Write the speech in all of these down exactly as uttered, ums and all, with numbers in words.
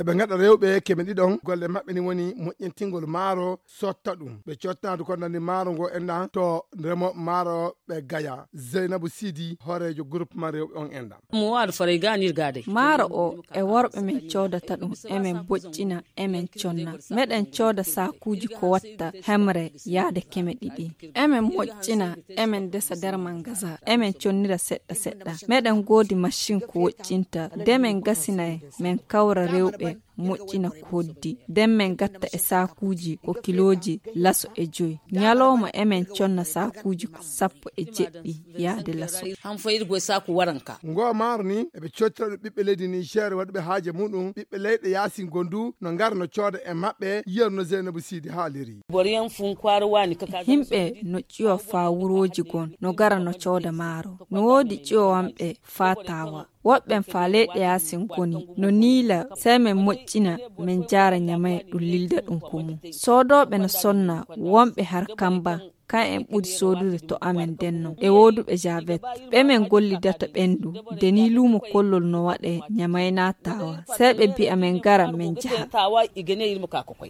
Eɓe ngaɗa rewɓe keme ɗiɗon. Golle maɓɓe ni woni moƴƴintingol maaro, sotta ɗum. Ɓe cottanaade ko nandi maaro ngo enɗan to remooɓe maaro ɓe Gaya. Zeynabu Sidi, hooreejo groupement rewɓe on enɗan. Mo waɗa faray ganir gade. Maaro o e worɓe men coodata ɗum, emen boƴƴina, emen conna. Meɗen cooda saakuuji ko watta hemre yaade keme ɗiɗi. Emen moƴƴina, emen desa nder mangasa, emen connira seɗɗa seɗɗa. Meɗen goodi machin ko woƴƴinta, de men gasinay, men kawra rewɓe, moƴƴina ko hoddi. Den men gatta e saakuuji ko kilooji laso e joy. Ñalooma emen conna saakuuji ko sappo e jeɗɗi yaade laso. Han fayir goy saaku waranka. Ngo maaro ni, eɓe cottira ɗum ɓiɓɓe leydi Niger waɗuɓe haaje muɗum, ɓiɓɓe leyɗe yaasin gondu, no ngara no cooda e maɓɓe, yerno Zeynabu Sidi haaliri. Boriyan fun kwara wani kaka. Himɓe no ƴiwa faa wurooji gon, no gara no cooda maaro. No woodi ƴiwowanɓe faa taawa. Woɓɓen faa leyɗe yaasin goni, no niila, sey men moƴƴina, men jaara Ñamay ɗum lilda ɗum ko mum. Soodooɓe no sonna, wonɓe har kamba, kan en ɓuri soodude to amen denno. E wooduɓe javet, ɓe men gollidata ɓendu, de ni luumo kollol no waɗe Ñamay naa taawa. Sey ɓe mbi'a men gara men jaha.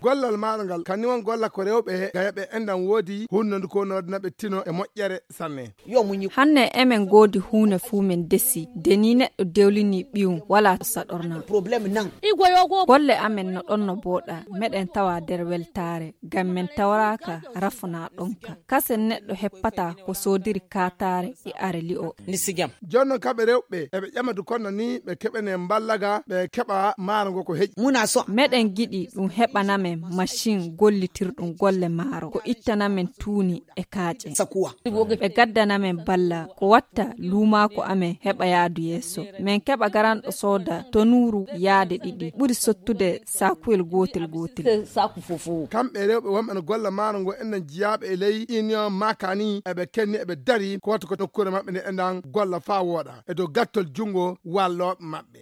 Gollal maaro ngal, kanni won golla ko rewɓe gayaɓe enɗan woodi, hunnondu ko no waɗana ɓe tino e moƴƴere sanne. Hanne emen goodi huune fuu men desi, de ni neɗɗo dewlini ɓiyum walaa to saɗorna. Golle amen no ɗon no booɗa, meɗen tawa nder weltaare, ngam men tawraaka rafo naa ɗonka. Kasen neɗɗo heppataa ko soodiri kaataare e are li'o. Jooni non kamɓe rewɓe, eɓe ƴama du kono ni ɓe keɓane mballaga, ɓe keɓa maaro ngo ko heƴi. Meɗen giɗi ɗum heɓana men machin gollitirɗum golle maaro, ko ittana men tuuni e kaaƴe. Ɓe gaddana men balla ko watta luumaako amen heɓa yaadu yeeso. Men keɓa garanɗo sooda tonuuru yaade ɗiɗi. Ɓuri sottude saakuyel gootel gootel. Kamɓe rewɓe wonɓe no golla maaro ngo enɗan jiyaaɓe e ley union makani, eɓe kenni eɓe dari ko watta ko nokkuure maɓɓe nde enɗan golla faa wooɗa e dow gattol junngo wallooɓe maɓɓe.